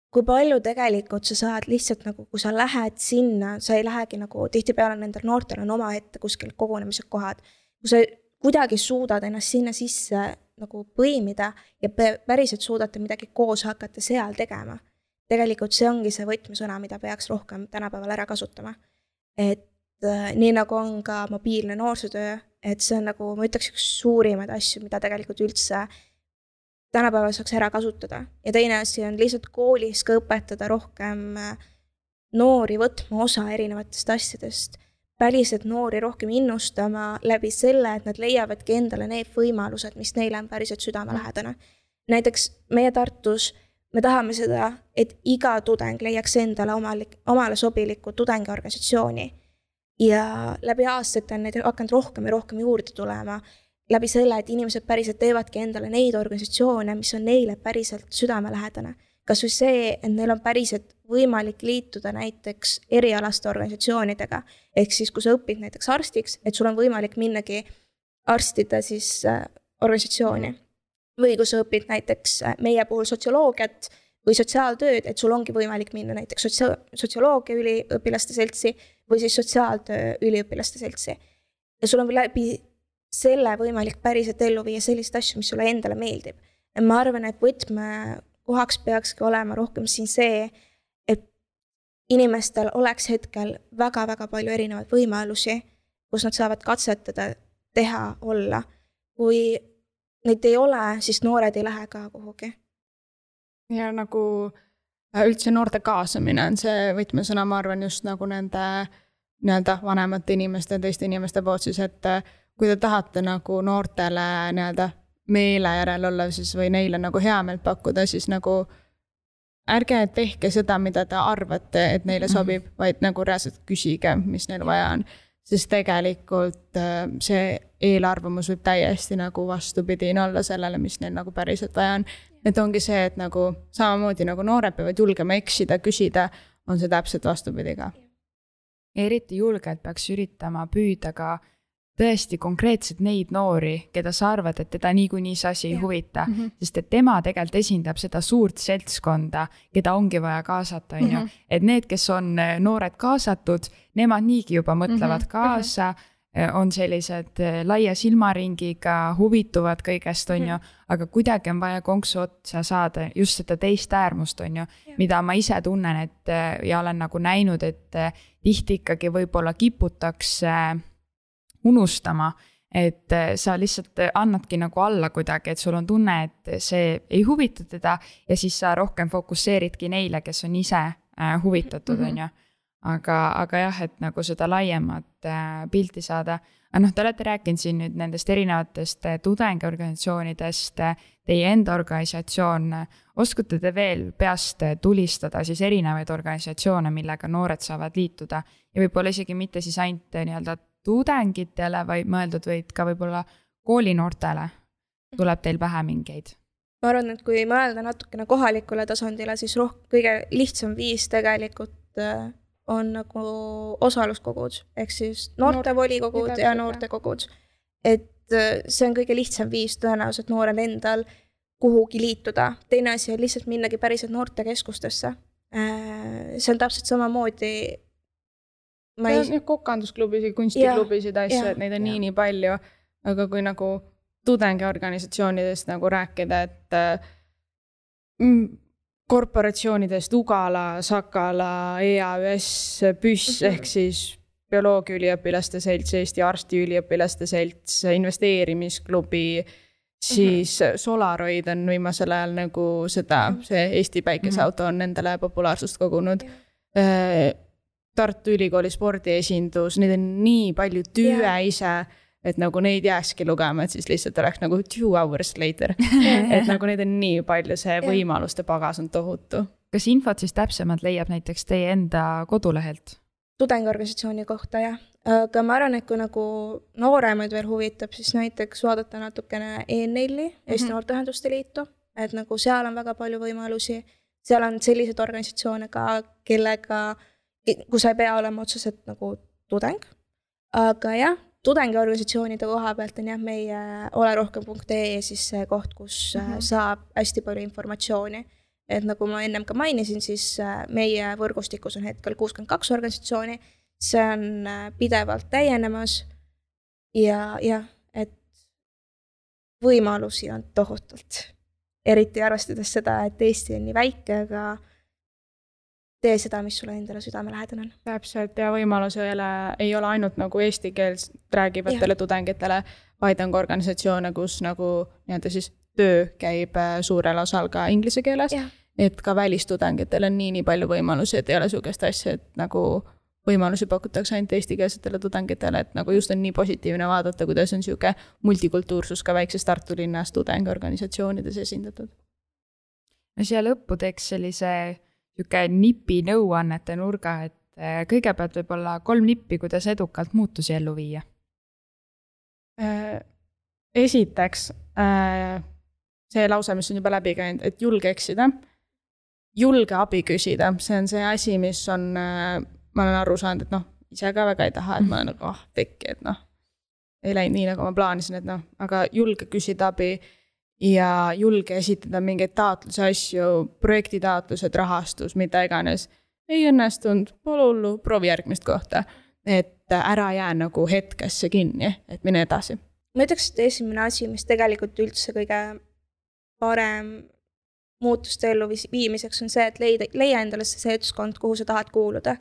Kui palju tegelikult sa saad lihtsalt nagu, kui sa lähed sinna, sa ei lähegi nagu tihtipeale nendel noortel on oma ette kuskil kogunemised kohad. Kui sa kuidagi suudad ennast sinna sisse nagu põimida ja päriselt suudate midagi koos hakata seal tegema. Tegelikult see ongi see võtmesõna, mida peaks rohkem tänapäeval ära kasutama. Et nii nagu on ka mobiilne noorsootöö, et see on nagu, ma ütleks üks suurimaid asju, mida tegelikult üldse tänapäeval saaks ära kasutada. Ja teine asi on lihtsalt koolis ka õpetada rohkem noori võtma osa erinevatest asjadest. Päriselt noori rohkem innustama läbi selle, et nad leiavadki endale need võimalused, mis neile on päriselt südamelähedane. Näiteks meie Tartus me tahame seda, et iga tudeng leiaks endale omale sobiliku tudengiorganisatsiooni ja läbi aastate on neid hakanud rohkem ja rohkem juurde tulema läbi selle, et inimesed päriselt teevadki endale neid organisatsioone, mis on neile päriselt südamelähedane. Kas või see, et neil on päriselt võimalik liituda näiteks erialaste organisatsioonidega, ehk siis kui sa õpid näiteks arstiks, et sul on võimalik minnagi arstide siis organisatsiooni. Või kui sa õpid näiteks meie puhul sotsioloogiat või sotsiaaltööd, et sul ongi võimalik minna näiteks sotsioloogia üliõpilaste seltsi või siis sotsiaaltöö üliõpilaste seltsi. Ja sul on läbi selle võimalik päriselt ellu viia sellist asju, mis sulle endale meeldib. Ja ma arvan, et võtmekohaks peakski olema rohkem siin see, et inimestel oleks hetkel väga-väga palju erinevaid võimalusi, kus nad saavad katsetada, teha, olla. Kui neid ei ole, siis noored ei lähe ka kuhugi. Ja nagu üldse noorte kaasamine on see võtmesõna, ma arvan just nagu nende vanemate inimeste ja teiste inimeste poolt siis, et kui te tahate nagu noortele meele järel olla siis või neile nagu hea meelt pakkuda, siis nagu ärge tehke seda, mida te arvate, et neile sobib, vaid nagu reaalselt küsige, mis neil vaja on. Sest tegelikult see eelarvamus võib täiesti nagu vastupidine olla sellele, mis neil nagu päriselt vaja on. Et ongi see, et nagu samamoodi nagu noored peavad julgema eksida, küsida, on see täpselt vastupidi ka. Eriti julgelt peaks üritama püüda ka tõesti konkreetselt neid noori, keda sa arvad, et teda niikuinii see asi ei huvita, sest et tema tegelikult esindab seda suurt seltskonda, keda ongi vaja kaasata, on ju. Et need, kes on noored kaasatud, nemad niigi juba mõtlevad kaasa, on sellised laia silmaringiga, huvituvad kõigest, on ju, aga kuidagi on vaja konksu otsa saada just seda teist äärmust, on ju, mida ma ise tunnen, et ja olen nagu näinud, et tihti ikkagi võib-olla kiputakse unustama, et sa lihtsalt annadki nagu alla kuidagi, et sul on tunne, et see ei huvita teda ja siis sa rohkem fokusseeridki neile, kes on ise huvitatud, on ju. Aga jah, et nagu seda laiemat pilti saada. Aga te olete rääkinud siin nüüd nendest erinevatest tudengiorganisatsioonidest, teie enda organisatsioon. Oskate te veel peast tulistada siis erinevaid organisatsioone, millega noored saavad liituda ja võib-olla isegi mitte siis ainult nii-öelda tudengitele, vaid mõeldud võid ka võib-olla koolinoortele tuleb teil pähe mingeid? Ma arvan, et kui mõelda natukene kohalikule tasandile, siis kõige lihtsam viis tegelikult on nagu osaluskogud, ehk siis noortevolikogud ja noortekogud. Et see on kõige lihtsam viis tõenäoliselt noorel endal kuhugi liituda. Teine asi on lihtsalt minnagi päriselt noortekeskustesse. See on täpselt samamoodi. Kokkandusklubisid, kunstiklubisid, asju, et neid on nii palju, aga kui nagu tudengiorganisatsioonidest nagu rääkida, et korporatsioonidest Ugala, Sakala, EAÜS, PÜS ehk siis bioloogiaüliõpilaste selts, Eesti arstiüliõpilaste selts, investeerimisklubi, siis Solaroid on viimasel ajal nagu see Eesti päikeseauto on endale populaarsust kogunud. Tartu Ülikooli spordiesindus, neid on nii palju tüüe ise, et nagu neid jääski lugema, et siis lihtsalt oleks nagu 2 hours later. Et nagu neid on nii palju, see võimaluste pagas on tohutu. Kas infot siis täpsemalt leiab näiteks teie enda kodulehelt? Tudengiorganisatsiooni kohta, jah. Aga ma arvan, et kui nagu nooremaid veel huvitab, siis näiteks vaadata natukene ENL-i, Eesti Noorteühenduste Liitu, et nagu seal on väga palju võimalusi. Seal on sellised organisatsioone ka, kus ei pea olema otseselt nagu tudeng. Aga jah, tudengiorganisatsioonide koha pealt on jah meie olerohkem.ee siis see koht, kus saab hästi palju informatsiooni. Et nagu ma ennem ka mainisin, siis meie võrgustikus on hetkel 62 organisatsiooni. See on pidevalt täienemas ja et võimalusi on tohutult. Eriti arvestades seda, et Eesti on nii väike, aga tee seda, mis sulle endale südamelähedane on. Täpselt ja võimalus ei ole ainult nagu eesti keelt räägivatele tudengitele, vaid on ka organisatsioone, kus nagu siis töö käib suurel osal ka inglise keeles, et ka välistudengitele on nii palju võimalusi, et ei ole sugust asja, et nagu võimalusi pakutakse ainult eestikeelsetele tudengitele, et nagu just on nii positiivne vaadata, kuidas on siuke multikultuursus ka väikses Tartu linnas tudengiorganisatsioonides esindatud. No siia lõppu teeks sellise nipi nõuannete nurga, et kõigepealt võib-olla 3 nippi, kuidas edukalt muutusi ellu viia? Esiteks, see lause, mis on juba läbi käinud, et julge eksida, julge abi küsida, see on see asi, mis on, ma olen aru saanud, et ise ka väga ei taha, et ma olen nagu pekki, et ei läinud nii, nagu ma plaanisin, et aga julge küsida abi ja julge esitada mingeid taotluse asju, projektitaotlused, rahastus, mida iganes. Ei õnnestunud, pole hullu, proovi järgmist kohta, et ära jää nagu hetkesse kinni, et mine edasi. Ma ütleks, et esimene asi, mis tegelikult üldse kõige parem muutuste ellu viimiseks on see, et leia endale see seltskond, kuhu sa tahad kuuluda.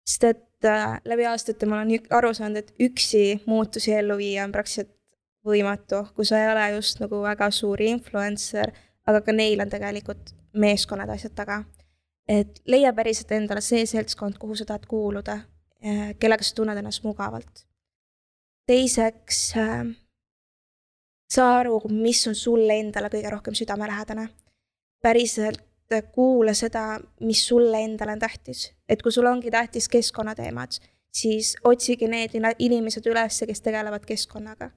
Sest et läbi aastate ma olen aru saanud, et üksi muutusi ellu viia on praktiliselt võimatu, kui sa ei ole just nagu väga suuri influencer, aga ka neil on tegelikult meeskonnad asjad taga. Et leia päriselt endale see seltskond, kuhu sa tahad kuuluda, kellega sa tunned ennast mugavalt. Teiseks, saa aru, mis on sulle endale kõige rohkem südamelähedane. Päriselt kuule seda, mis sulle endale on tähtis. Et kui sul ongi tähtis keskkonnateemad, siis otsigi need inimesed üles, kes tegelevad keskkonnaga.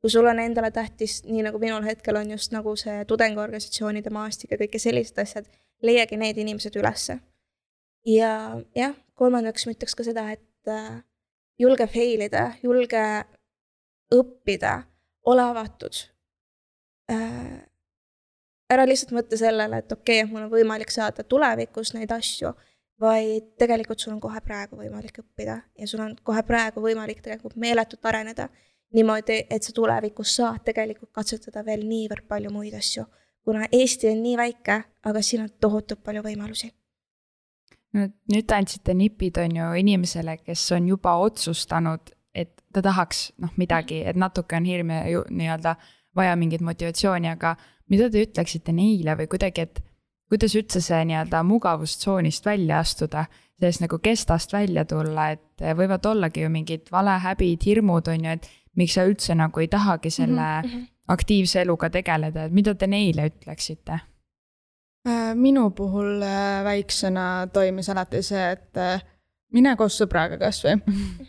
Kui sul on endale tähtis, nii nagu minul hetkel on just nagu see tudengiorganisatsioonide maastik ja kõike sellised asjad, leiagi need inimesed ülesse. Ja jah, kolmandaks ma ütleks ka seda, et julge failida, julge õppida, ole avatud. Ära lihtsalt mõtle sellele, et okei, mul on võimalik saada tulevikus neid asju, vaid tegelikult sul on kohe praegu võimalik õppida ja sul on kohe praegu võimalik tegelikult meeletult areneda niimoodi, et sa tulevikus saad tegelikult katsetada veel niivõrd palju muid asju, kuna Eesti on nii väike, aga siin on tohutult palju võimalusi. Nüüd andsite nipid on ju inimesele, kes on juba otsustanud, et ta tahaks midagi, et natuke on hirm ja nii-öelda vaja mingit motivatsiooni, aga mida te ütleksite neile või kuidagi, et kuidas üldse see nii-öelda mugavustsoonist välja astuda, sellest nagu kestast välja tulla, et võivad ollagi ju mingid valehäbid, hirmud on ju, et miks sa üldse nagu ei tahagi selle aktiivse eluga tegeleda, et mida te neile ütleksite? Minu puhul väiksena toimis alati see, et mine koos sõbraga kas või.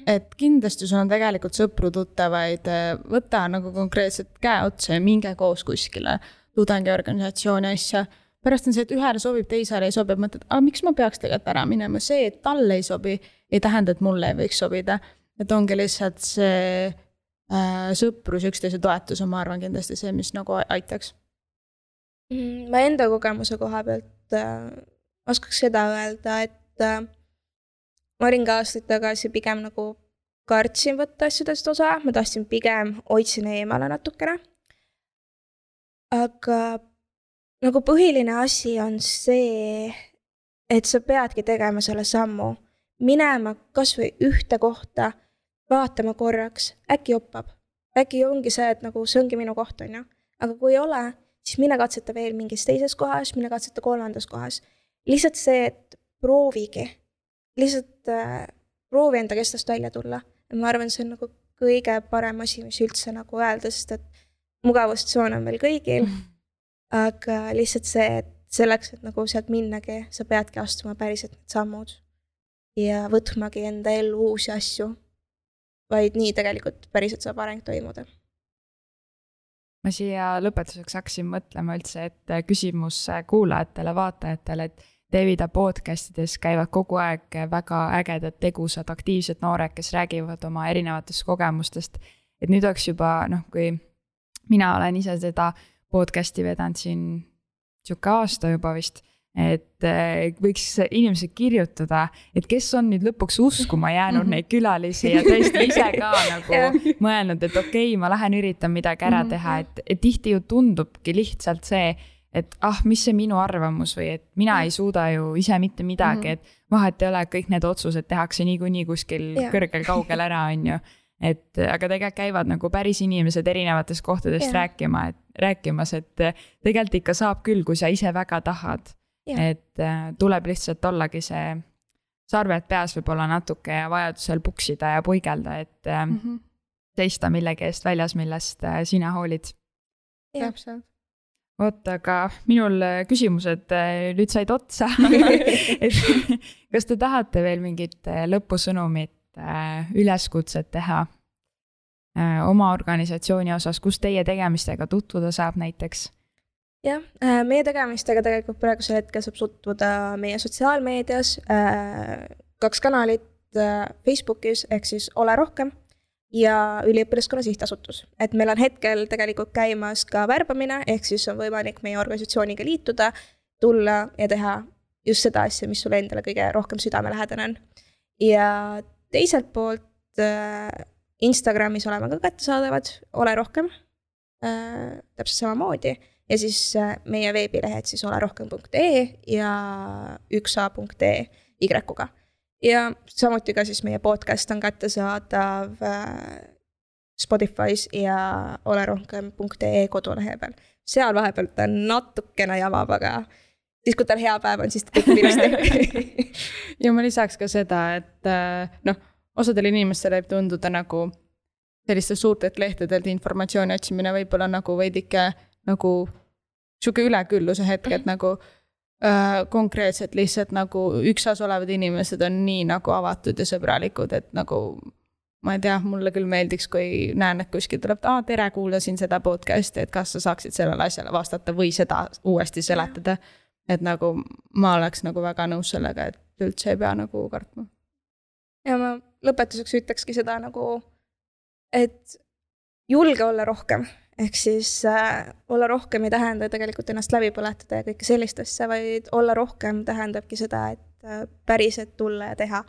Et kindlasti sul on tegelikult sõpru tuttavaid, võta nagu konkreetselt käe otsa ja minge koos kuskile tudengiorganisatsiooni asja. Pärast on see, et ühele sobib, teisele ei sobi, mõtled, miks ma peaks tegelikult ära minema, see, et talle ei sobi, ei tähenda, et mulle ei võiks sobida. Et ongi lihtsalt see sõprus, üksteise toetus on, ma arvan, kindlasti see, mis nagu aitaks. Ma enda kogemuse koha pealt oskaks seda öelda, et ma olin ka aastaid tagasi pigem nagu kartsin võtta asjadest osa, ma tahtsin pigem hoidsin eemale natukene. Aga nagu põhiline asi on see, et sa peadki tegema selle sammu, minema kas või ühte kohta, vaatama korraks, äkki joppab. Äkki ongi see, et nagu see ongi minu koht, on ju. Aga kui ei ole, siis mine katseta veel mingis teises kohas, mine katseta 3. kohas. Lihtsalt see, et proovigi. Lihtsalt proovi enda kestast välja tulla. Ja ma arvan, see on nagu kõige parem asi, mis üldse nagu öelda, sest et mugavustsoon on meil kõigil. Aga lihtsalt see, et selleks, et nagu sealt minnagi, sa peadki astuma päriselt need sammud ja võtmagi enda ellu uusi asju, vaid nii tegelikult päriselt saab areng toimuda. Ma siia lõpetuseks hakkasin mõtlema üldse, et küsimus kuulajatele, vaatajatele, et Tevida podcastides käivad kogu aeg väga ägedad, tegusad, aktiivsed noored, kes räägivad oma erinevatest kogemustest. Et nüüd oleks juba, kui mina olen ise seda podcasti vedanud siin siuke aasta juba vist, et võiks inimesed kirjutada, et kes on nüüd lõpuks uskuma jäänud neid külalisi ja tõesti ise ka nagu mõelnud, et okei, ma lähen üritan midagi ära teha, et tihti ju tundubki lihtsalt see, et mis see minu arvamus või et mina ei suuda ju ise mitte midagi, et vahet ei ole, kõik need otsused tehakse niikuinii kuskil kõrgel kaugel ära, on ju. Et, aga tegelikult käivad nagu päris inimesed erinevatest kohtadest rääkimas, et tegelikult ikka saab küll, kui sa ise väga tahad. Et tuleb lihtsalt ollagi see sarved peas võib-olla natuke ja vajadusel puksida ja puigelda, et seista millegi eest väljas, millest sina hoolid. Täpselt. Oot, aga minul küsimused nüüd said otsa. Et, kas te tahate veel mingit lõpusõnumit üleskutset teha oma organisatsiooni osas, kus teie tegemistega tutvuda saab näiteks? Jah, meie tegemistega tegelikult praegusel hetkel saab tutvuda meie sotsiaalmeedias, 2 kanalit Facebookis, ehk siis Ole Rohkem ja Üliõpilaskonna sihtasutus. Et meil on hetkel tegelikult käimas ka värbamine, ehk siis on võimalik meie organisatsiooniga liituda, tulla ja teha just seda asja, mis sulle endale kõige rohkem südamelähedane on. Ja teiselt poolt Instagramis oleme ka kättesaadavad, Ole Rohkem, täpselt samamoodi. Ja siis meie veebilehed siis olerohkem.ee ja 1a.ee Y-ga. Ja samuti ka siis meie podcast on kättesaadav Spotify's ja olerohkem.ee kodulehe peal. Seal vahepealt on natukene jamab, aga siis kui tal hea päev on, siis kõik ilusti. Ja ma lisaks ka seda, et osadel inimestel võib tunduda nagu selliste suurtelt lehtedelt informatsiooni otsimine võib-olla nagu veidike nagu siuke ülekülluse hetk, et nagu konkreetselt lihtsalt nagu üksas olevad inimesed on nii nagu avatud ja sõbralikud, et nagu ma ei tea, mulle küll meeldiks, kui näen, et kuskil tuleb, tere, kuulasin seda podcasti, et kas sa saaksid sellele asjale vastata või seda uuesti seletada, et nagu ma oleks nagu väga nõus sellega, et üldse ei pea nagu kartma. Ja ma lõpetuseks ütlekski seda nagu, et julge olla rohkem. Ehk siis olla rohkem ei tähenda tegelikult ennast läbi põletada ja kõike sellistesse, vaid olla rohkem tähendabki seda, et päriselt tulla ja teha,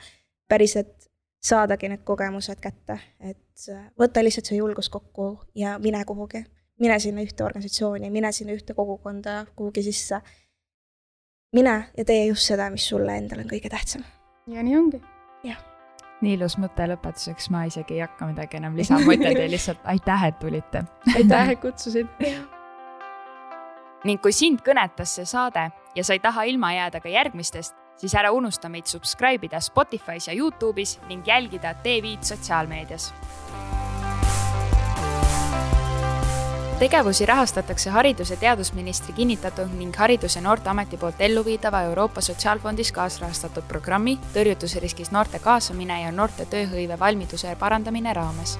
päriselt saadagi need kogemused kätte, et võtta lihtsalt see julgus kokku ja mine kuhugi. Mine sinna ühte organisatsiooni, mine sinna ühte kogukonda, kuhugi sisse. Mine ja tee just seda, mis sulle endal on kõige tähtsam. Ja nii ongi. Jah. Nii ilus mõte lõpetuseks, ma isegi ei hakka midagi enam lisama, mõtled ja lihtsalt aitäh, et tulite. Aitäh, et kutsusid. Ning kui sind kõnetas see saade ja sa ei taha ilma jääda ka järgmistest, siis ära unusta meid subscribe'ida Spotify's ja YouTube'is ning jälgida TV sotsiaalmeedias. tegevusi rahastatakse Haridus- ja Teadusministri kinnitatud ning Haridus- ja Noorteameti poolt elluviidava Euroopa Sotsiaalfondis kaasrahastatud programmi tõrjutusriskis noorte kaasamine ja noorte tööhõive valmiduse parandamine raames.